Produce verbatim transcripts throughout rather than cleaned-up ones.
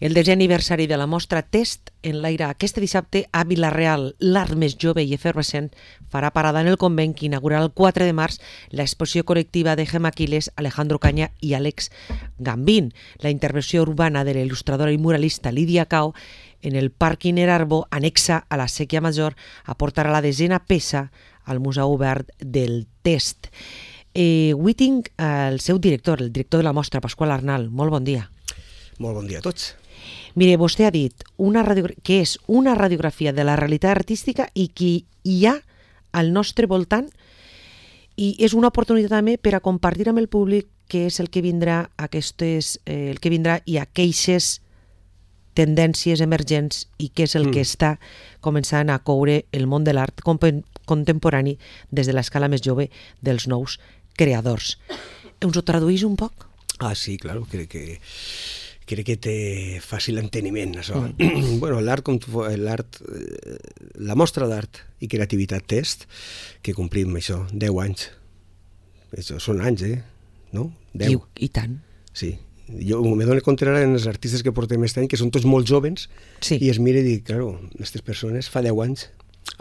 El desè aniversari de la mostra Test enlaira aquest dissabte a Vila-real. L'art més jove i efervescent farà parada en el convent que inaugurarà el quatre de març l'exposició col·lectiva de Gemma Quiles, Alejandro Caña i Àlex Gambín. La intervenció urbana de la il·lustradora i muralista Lídia Cao en el pàrquing Erarbo, anexa a la Sèquia Major, aportarà la desena peça al Museu Obert del Test. Eh, avui tinc el seu director, el director de la mostra, Pasqual Arnal. Molt bon dia. Molt bon dia a tots. Mire, vostè ha dit una que és una radiografia de la realitat artística i que hi ha al nostre voltant, i és una oportunitat també per a compartir amb el públic què és el que vindrà, aquestes, eh, el que vindrà i aqueixes tendències emergents i què és el mm. que està començant a coure el món de l'art contemporani des de l'escala més jove dels nous creadors. Ens ho traduís un poc? Ah, sí, claro, crec que crec que té fàcil enteniment, això. Mm. Bueno, l'art, l'art, la mostra d'art i creativitat Test, que complim això, deu anys. Això són anys, eh? No? deu. I, i tant. Sí. Jo me dono compte ara en els artistes que portem aquest any, que són tots molt jovens, sí. I es mira i dic, claro, aquestes persones fa deu anys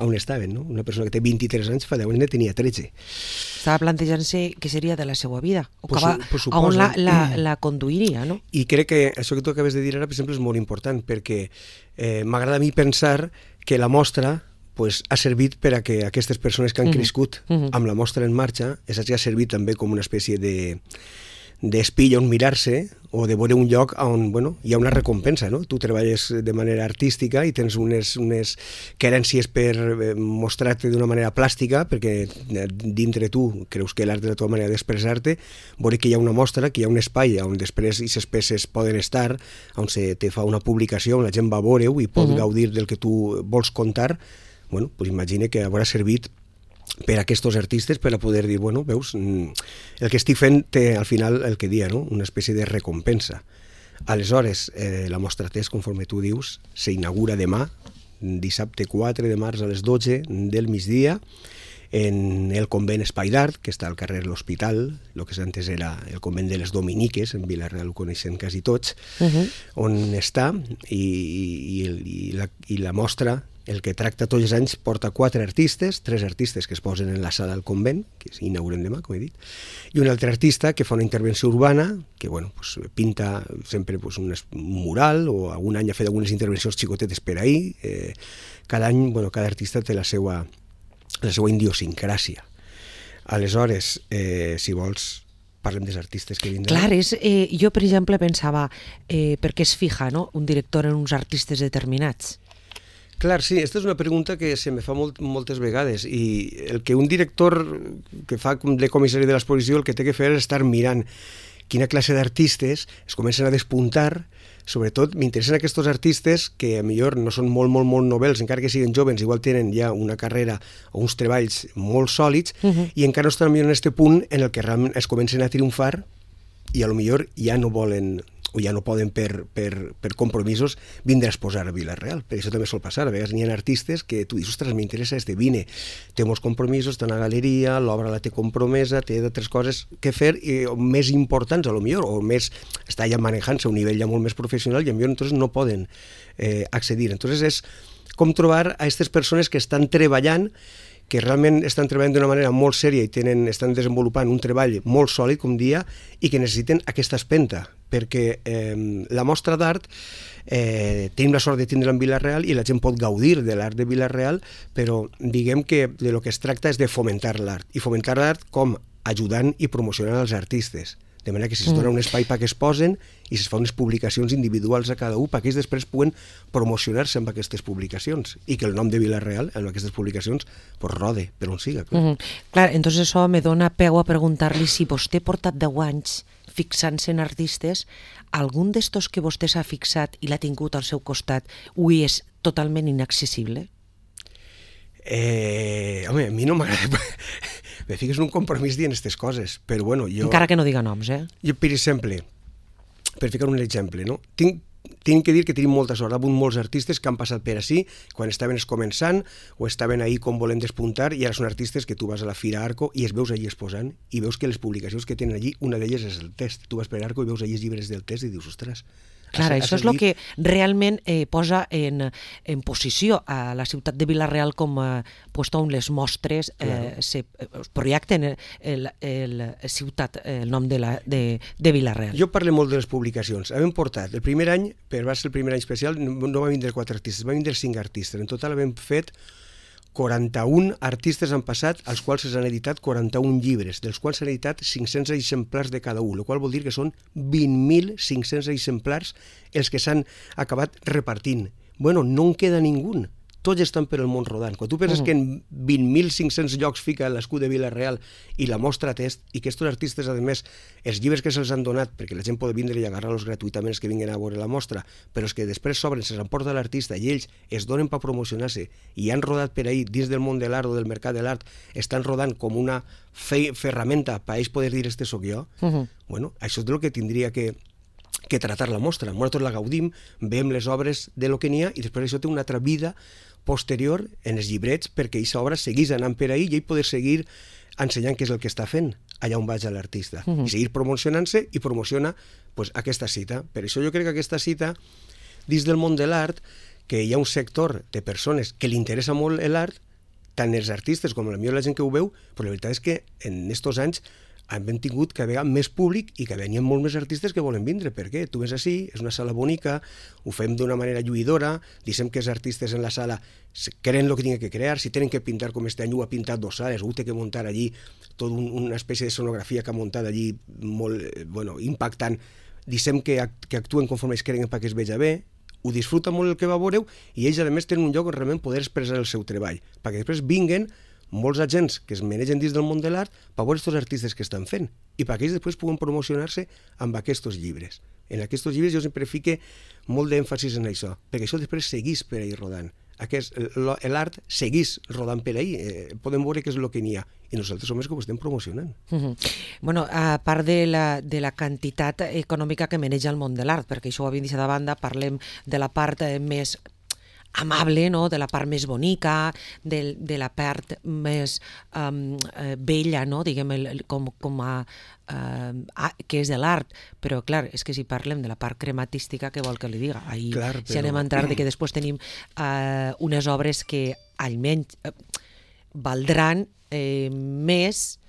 on estaven, no? Una persona que té vint-i-tres anys fa deu anys ne tenia tretze. Estava plantejant-se què seria de la seva vida, o pues, va, pues on la, la, la conduiria, no? I crec que això que tu acabes de dir ara, per exemple, és molt important, perquè eh, m'agrada a mi pensar que la mostra pues, ha servit per a que aquestes persones que han mm-hmm. crescut mm-hmm. amb la mostra en marxa, és que ha servit també com una espècie de d'espill on mirar-se o de veure un lloc on bueno, hi ha una recompensa, no? Tu treballes de manera artística i tens unes, unes querències per mostrar-te d'una manera plàstica, perquè dintre tu creus que l'art és la teva manera d'expressar-te, veure que hi ha una mostra, que hi ha un espai on després aquestes peces poden estar, on se te fa una publicació, on la gent va a veure-ho i pot uh-huh. gaudir del que tu vols contar. Bueno, pues imagina que haurà servit per a aquests artistes per a poder dir, bueno, veus, el que estic fent té al final el que dia, no? Una espècie de recompensa. Aleshores, eh, la mostra Test, conforme tu dius, s'inaugura demà, dissabte quatre de març a les dotze del migdia, en el convent Espai d'Art, que està al carrer L'Hospital, el que antes era el convent de les Dominiques, en Vila-real ho coneixen quasi tots, uh-huh. on està, i, i, i, la, i la mostra, el que tracta tots els anys, porta quatre artistes, tres artistes que es posen en la sala del convent, que s'inauguren demà, com he dit, i un altre artista que fa una intervenció urbana, que bueno, pues, pinta sempre pues, un mural, o algun any ha fet algunes intervencions xicotetes per ahir. Eh, cada any, bueno, cada artista té la seva, la seva idiosincràsia. Aleshores, eh, si vols, parlem dels artistes que vindran. Clar, és, eh, jo per exemple pensava, eh, per què es fija, no?, un director en uns artistes determinats? Clar, sí, aquesta és una pregunta que se me fa molt, moltes vegades, i el que un director que fa de comissari de l'exposició el que té que fer és estar mirant quina classe d'artistes es comencen a despuntar. Sobretot m'interessen aquests artistes que a millor no són molt, molt, molt novels, encara que siguin jovens, igual tenen ja una carrera o uns treballs molt sòlids, uh-huh. i encara no estan millor en aquest punt en el que realment es comencen a triomfar i a lo millor ja no volen o ja no poden per, per, per compromisos vindre a exposar a Vila-real. Per això també sol passar. A vegades n'hi ha artistes que tu dius, ostres, m'interessa este vine, té molts compromisos, té una galeria, l'obra la té compromesa, té d'altres coses que fer, i, o més importants, a lo millor, o més, està ja manejant-se a un nivell ja molt més professional, i a millor entonces no poden eh, accedir. Entonces és com trobar a aquestes persones que estan treballant, que realment estan treballant d'una manera molt sèria i tenen, estan desenvolupant un treball molt sòlid, com dia, i que necessiten aquesta espenta, perquè eh, la mostra d'art eh, tenim la sort de tindre-la en Vila-real i la gent pot gaudir de l'art de Vila-real, però diguem que de lo que es tracta és de fomentar l'art, i fomentar l'art com ajudant i promocionant els artistes. De manera que si es dona un espai perquè es posen i es fa unes publicacions individuals a cada un perquè ells després puguen promocionar-se amb aquestes publicacions i que el nom de Vila-real en aquestes publicacions pues, rode per on siga. Clar, mm-hmm. clar entonces això me dona peu a preguntar-li si vostè ha portat deu anys fixant-se en artistes, algun d'estos que vostè s'ha fixat i l'ha tingut al seu costat avui és totalment inaccessible? Eh, home, a mi no m'agrada... Me fiques en un compromís dient aquestes coses, però bueno, jo... Encara que no diga noms, eh? Jo, per exemple, per ficar un exemple, no? Tinc, tinc que dir que tenim molta sort. Hi ha hagut molts artistes que han passat per ací, quan estaven començant, o estaven ahí com volent despuntar, i ara són artistes que tu vas a la Fira Arco i es veus allí exposant, i veus que les publicacions que tenen allí, una d'elles és el Test. Tu vas per Arco i veus allí els llibres del Test i dius, ostres, Clar, a, a això és el que realment eh, posa en, en posició a la ciutat de Vila-real com a puesto on les mostres eh, claro. se projecten el, el, el ciutat, el nom de, la, de, de Vila-real. Jo parlo molt de les publicacions. Hem portat, el primer any, per va ser el primer any especial, no, no va vindre quatre artistes, va vindre cinc artistes. En total hem fet quaranta-un artistes han passat, als quals s'han editat quaranta-un llibres, dels quals s'han editat cinc-cents exemplars de cada un, el qual vol dir que són vint mil cinc-cents exemplars els que s'han acabat repartint. Bueno, no en queda ningú. Tots estan per el món rodant. Quan tu penses uh-huh. que en vint mil cinc-cents llocs fica l'escut de Vila-real i la mostra test, i que aquests artistes, a més, els llibres que se'ls han donat, perquè la gent pot vindre i agarrar-los gratuïtament els que vinguin a veure la mostra, però els que després s'obren, se'ls emporta l'artista i ells es donen per promocionar-se i han rodat per ahir dins del món de l'art o del mercat de l'art, estan rodant com una fe ferramenta per a ells poder dir este soc jo, uh-huh. bueno, això és el que tindria que que tratar la mostra. Nosaltres la gaudim, veiem les obres de lo que n'hi ha i després això té una altra vida posterior en els llibrets perquè aquesta obra seguís anant per ahí i ell poder seguir ensenyant què és el que està fent allà on vaig l'artista uh-huh. i seguir promocionant-se i promociona pues, aquesta cita. Per això jo crec que aquesta cita, dins del món de l'art, que hi ha un sector de persones que li interessa molt l'art, tant els artistes com la millor la gent que ho veu, però la veritat és que en aquests anys hem tingut que haver més públic i que venien molt més artistes que volen vindre. Per què? Tu ves així, és una sala bonica, ho fem d'una manera lluïdora, dicem que els artistes en la sala creen el que tenen que crear, si tenen que pintar com este any ho ha pintat dos sales, ho té que muntar allí, tota un, una espècie de sonografia que ha muntat allí molt bueno, impactant, dicem que, que actuen conforme es creen perquè es veja bé, ho disfruta molt el que va veure i ells a més tenen un lloc on realment poder expressar el seu treball, perquè després vinguen molts agents que es manegen dins del món de l'art per veure aquests artistes que estan fent i perquè ells després puguen promocionar-se amb aquests llibres. En aquests llibres jo sempre fique molt d'èmfasis en això, perquè això després seguís per ahir rodant. Aquest, l'art seguís rodant per ahir, eh, podem veure què és el que n'hi ha i nosaltres som els que ho estem promocionant. Uh-huh. Bueno, a part de la, de la quantitat econòmica que maneja el món de l'art, perquè això ho havia deixat de banda, parlem de la part eh, més amable, no? De la part més bonica, de, de la part més um, eh, bella, no? Diguem, el, el, com, com a, uh, que és de l'art, però clar, és que si parlem de la part crematística, què vol que li diga? Ahí clar, però... si anem a entrar de que després tenim uh, unes obres que almenys uh, valdran eh, més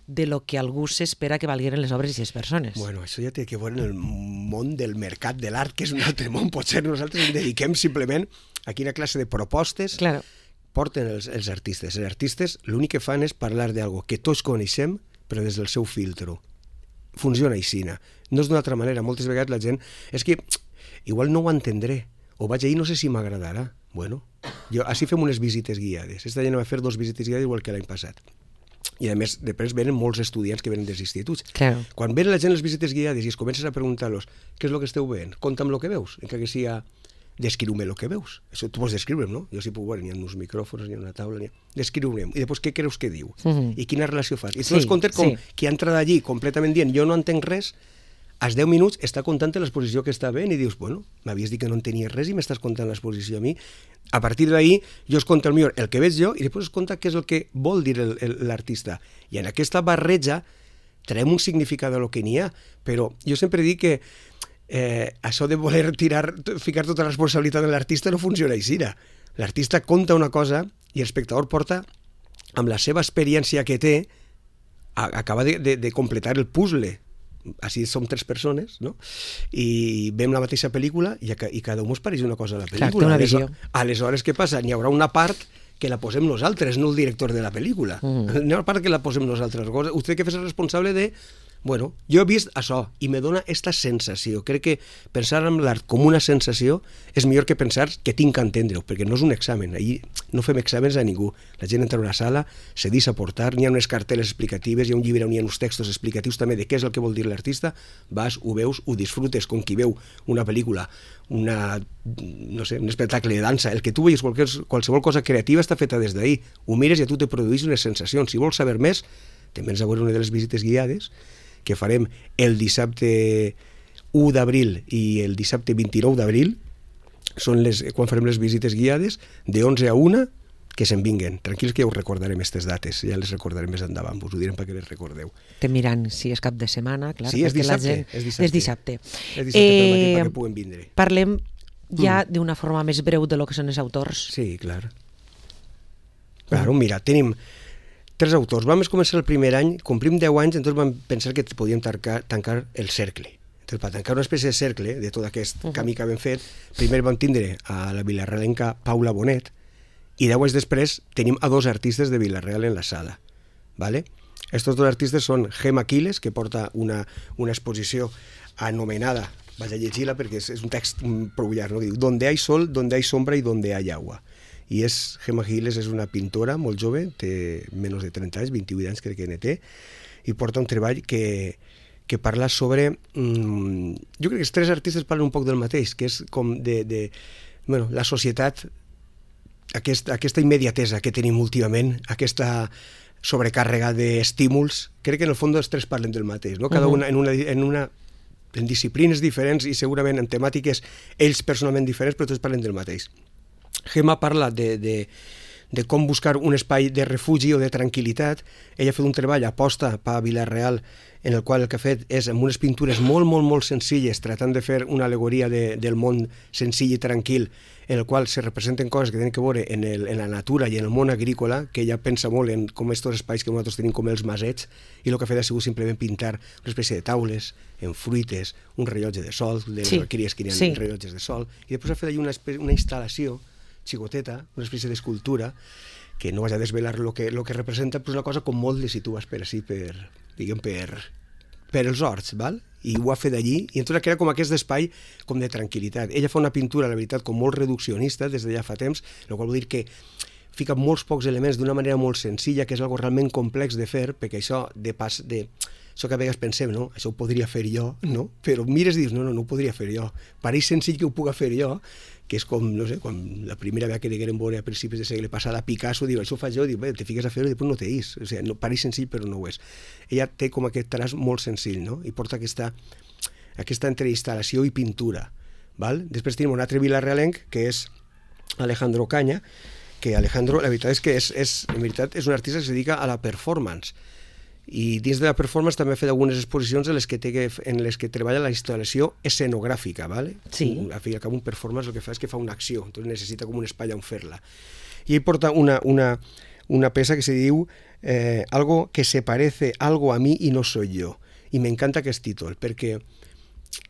de lo que algú s'espera que valgueren les obres i les persones. Bueno, això ja té que veure en el món del mercat de l'art, que és un altre món. Potser nosaltres ens dediquem simplement a quina classe de propostes claro. porten els, els artistes. Els artistes l'únic que fan és parlar d'algo que tots coneixem, però des del seu filtro. Funciona així. No és d'una altra manera. Moltes vegades la gent... És que igual no ho entendré. O vaig ahir, no sé si m'agradarà. Bueno, jo, així fem unes visites guiades. Esta gent va fer dos visites guiades igual que l'any passat. I a més, després venen molts estudiants que venen dels instituts. Claro. Quan venen la gent les visites guiades i es comences a preguntar-los què és el que esteu veient, conta'm el que veus, encara que sia descriu-me el que veus. Això tu pots descriure'm, no? Jo sí puc veure, n'hi ha uns micròfons, n'hi ha una taula, n'hi ha... Descriu-me'm. I després què creus que diu? Uh-huh. I quina relació fas? I tu sí, es comptes com sí. qui ha entrat allí completament dient jo no entenc res, als deu minuts està contant l'exposició que està veient i dius, bueno, m'havies dit que no entenies res i m'estàs contant l'exposició a mi. A partir d'ahir jo es conto el millor el que veig jo i després es conta què és el que vol dir el, el, l'artista. I en aquesta barreja traiem un significat del que n'hi ha, però jo sempre dic que eh, això de voler tirar, ficar tota la responsabilitat en l'artista no funciona així. L'artista conta una cosa i l'espectador porta, amb la seva experiència que té, a, acaba de, de, de completar el puzzle. Així som tres persones, no? I veiem la mateixa pel·lícula i, i cada un ens pareix una cosa a la pel·lícula. Clar, una visió. Aleshores, què passa? N'hi haurà una part que la posem nosaltres, no el director de la pel·lícula. Mm. N'hi ha una part que la posem nosaltres. Vostè que fes el responsable de... Bueno, jo he vist això i me dona aquesta sensació. Crec que pensar en l'art com una sensació és millor que pensar que tinc que entendre-ho, perquè no és un examen. Allí no fem exàmens a ningú. La gent entra a una sala, se deixa aportar, n'hi ha unes carteles explicatives, hi ha un llibre on hi ha uns textos explicatius també de què és el que vol dir l'artista, vas, ho veus, ho disfrutes, com qui veu una pel·lícula, una, no sé, un espectacle de dansa, el que tu veies, qualsevol cosa creativa està feta des d'ahir. Ho mires i a tu te produeix unes sensacions. Si vols saber més, te'n vens a veure una de les visites guiades, que farem el dissabte u d'abril i el dissabte vint-i-nou d'abril, són les, quan farem les visites guiades, de onze a una, que se'n vinguen. Tranquils que ja us recordarem aquestes dates, ja les recordarem més endavant, us ho direm perquè les recordeu. Te miran si és cap de setmana, clar. Sí, és dissabte. Gent... És dissabte. És dissabte. És dissabte eh, pel matí perquè puguen vindre. Parlem ja mm. d'una forma més breu de lo que són els autors. Sí, clar. Claro, mira, tenim tres autors. Vam començar el primer any, complim deu anys, entonces vam pensar que podíem tancar, tancar el cercle. Entonces, per tancar una espècie de cercle de tot aquest uh -huh. camí que hem fet, primer vam tindre a la vilarrealenca Paula Bonet, i deu anys després tenim a dos artistes de Vila-real en la sala. ¿Vale? Estos dos artistes són Gemma Quiles, que porta una, una exposició anomenada, vaig a llegir-la perquè és, és un text prou llarg, no? Que diu Donde hay sol, donde hay sombra y donde hay agua. I és, Gemma Quiles és una pintora molt jove, té menys de trenta anys, vint-i-vuit anys crec que ne té, i porta un treball que, que parla sobre... Mmm, jo crec que els tres artistes parlen un poc del mateix, que és com de... de bueno, la societat... Aquest, aquesta immediatesa que tenim últimament, aquesta sobrecàrrega d'estímuls, crec que en el fons els tres parlen del mateix, no? Cada una en una, en una en disciplines diferents i segurament en temàtiques ells personalment diferents, però tots parlen del mateix. Gemma parla de, de, de com buscar un espai de refugi o de tranquil·litat. Ella ha fet un treball aposta per a Vila-real en el qual el que ha fet és amb unes pintures molt, molt, molt senzilles, tratant de fer una alegoria de, del món senzill i tranquil, en el qual se representen coses que tenen que veure en, el, en la natura i en el món agrícola, que ella pensa molt en com aquests espais que nosaltres tenim com els masets, i el que ha fet ha sigut simplement pintar una espècie de taules, en fruites, un rellotge de sol, de les sí. alqueries que hi ha sí. rellotges de sol, i després ha fet allà una, una instal·lació xicoteta, una espècie d'escultura, que no vaig a desvelar el que, lo que representa, però és una cosa com molt de si tu vas per així, per, diguem, per, per els horts, val? I ho ha fet allí, i entonces era com aquest espai com de tranquil·litat. Ella fa una pintura, la veritat, com molt reduccionista des de ja fa temps, el qual vol dir que fica molts pocs elements d'una manera molt senzilla, que és algo realment complex de fer, perquè això de pas de... Això que a vegades pensem, no? Això ho podria fer jo, no? Però mires i dius, no, no, no ho podria fer jo. Pareix senzill que ho puga fer jo, que és com, no sé, quan la primera vegada que degueren veure a principis de segle passat a Picasso, diu, això ho faig jo, diu, bé, te fiques a fer-ho i després no t'eix. O sigui, no, pareix senzill però no ho és. Ella té com aquest traç molt senzill, no? I porta aquesta, aquesta entre instal·lació i pintura, val? Després tenim un altre vilarrealenc, que és Alejandro Caña, que Alejandro, la veritat és que és, és, en veritat, és un artista que es dedica a la performance, i dins de la performance també ha fet algunes exposicions en les que, té que, en les que treballa la instal·lació escenogràfica, ¿vale? Sí. Al fi i al cap un performance el que fa és que fa una acció, entonces necessita com un espai on fer-la. I ell porta una, una, una peça que se diu eh, algo que se parece algo a mí y no soy yo. I m'encanta aquest títol, perquè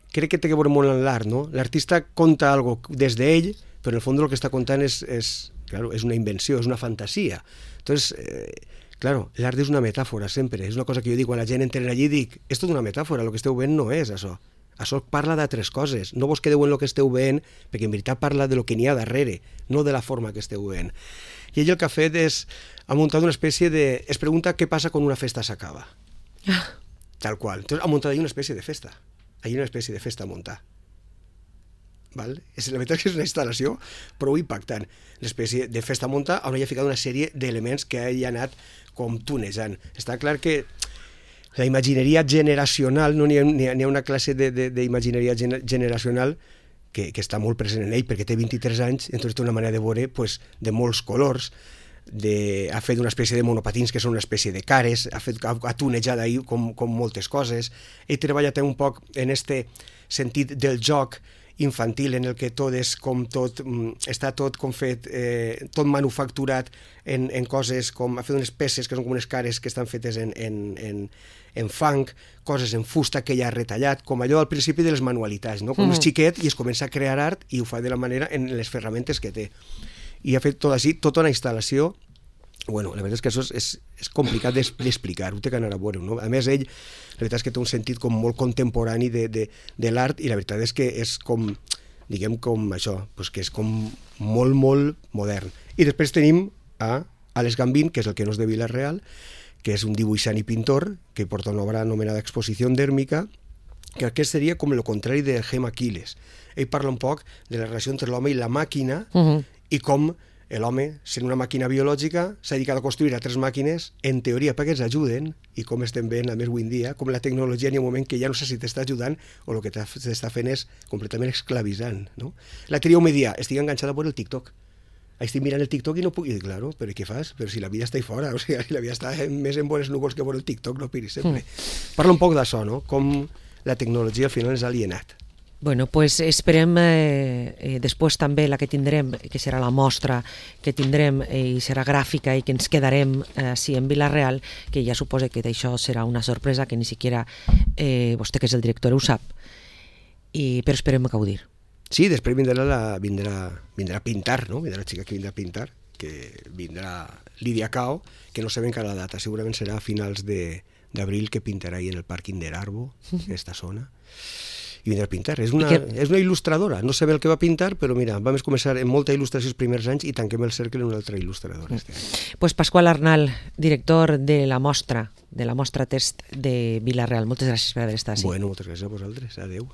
crec que té que veure molt en l'art, no? L'artista conta algo des d'ell, però en el fons el que està contant és, és, claro, és una invenció, és una fantasia. Entonces, eh, claro, l'art és una metàfora sempre, és una cosa que jo dic, quan la gent entra allí dic, és tot una metàfora, el que esteu veient no és això. Això parla d'altres coses, no vos quedeu en el que esteu veient, perquè en veritat parla de lo que n'hi ha darrere, no de la forma que esteu veient. I ell el que ha fet és, ha muntat una espècie de... Es pregunta què passa quan una festa s'acaba. Ah. Tal qual. Entonces ha muntat allí una espècie de festa. Allí una espècie de festa a muntar. Val? És, la veritat és que és una instal·lació prou impactant. L'espècie de festa a muntar on hi ha ficat una sèrie d'elements que ell ha anat com tunejant. Està clar que la imagineria generacional, no n'hi ha, n'hi ha, n'hi ha una classe d'imagineria generacional que, que està molt present en ell, perquè té vint-i-tres anys, entonces té una manera de veure pues, de molts colors, de, ha fet una espècie de monopatins que són una espècie de cares, ha, fet, ha, ha tunejat ahir com, com moltes coses. Ell treballa un poc en este sentit del joc infantil en el que tot és com tot, està tot com fet, eh, tot manufacturat en, en coses com, ha fet unes peces que són com unes cares que estan fetes en, en, en, en fang, coses en fusta que ella ha retallat, com allò al principi de les manualitats, no? Com mm. és xiquet i es comença a crear art i ho fa de la manera en les ferramentes que té. I ha fet tot així, tota una instal·lació. Bueno, la veritat és que això és, és, és complicat d'explicar, ho té que anar a veure, no? A més, ell, la veritat és que té un sentit com molt contemporani de, de, de l'art i la veritat és que és com, diguem, com això, pues que és com molt, molt modern. I després tenim a Alex Gambín, que és el que no és de Vila-real, que és un dibuixant i pintor, que porta una obra anomenada Exposició Dèrmica, que aquest seria com el contrari de Gemma Quiles. Ell parla un poc de la relació entre l'home i la màquina uh-huh. i com l'home, sent una màquina biològica, s'ha dedicat a construir altres màquines, en teoria perquè ens ajuden, i com estem veient a més avui en dia, com la tecnologia n'hi ha un moment que ja no sé si t'està ajudant o el que t'està fent és completament esclavitzant, no? La tria me dia, estic enganxada per el TikTok. estic mirant el TikTok i no puc... I dic, claro, però què fas? Però si la vida està ahí fora, o sigui, si la vida està més en bones núvols que por el TikTok, no piris sempre. Mm. Parla un poc d'això, no? Com la tecnologia al final és alienat. Bueno, pues esperem eh, eh, després també la que tindrem, que serà la mostra que tindrem eh, i serà gràfica i que ens quedarem eh, sí, en Vila-real, que ja suposa que això serà una sorpresa que ni siquiera eh, vostè que és el director ho sap, I, però esperem gaudir. Sí, després vindrà, la, vindrà, vindrà a pintar, no? Vindrà la xica que vindrà a pintar, que vindrà Lídia Cao, que no sabem encara la data, segurament serà a finals d'abril que pintarà ahí en el pàrquing de l'Arbo, en aquesta zona. I vindrà a pintar. És una, que... és una il·lustradora. No sé bé el que va pintar, però mira, vam començar en molta il·lustració els primers anys i tanquem el cercle en una altra il·lustradora. Mm. Pues Pasqual Arnal, director de la mostra, de la mostra test de Vila-real. Moltes gràcies per haver estat així. Bueno, moltes gràcies a vosaltres. Adéu.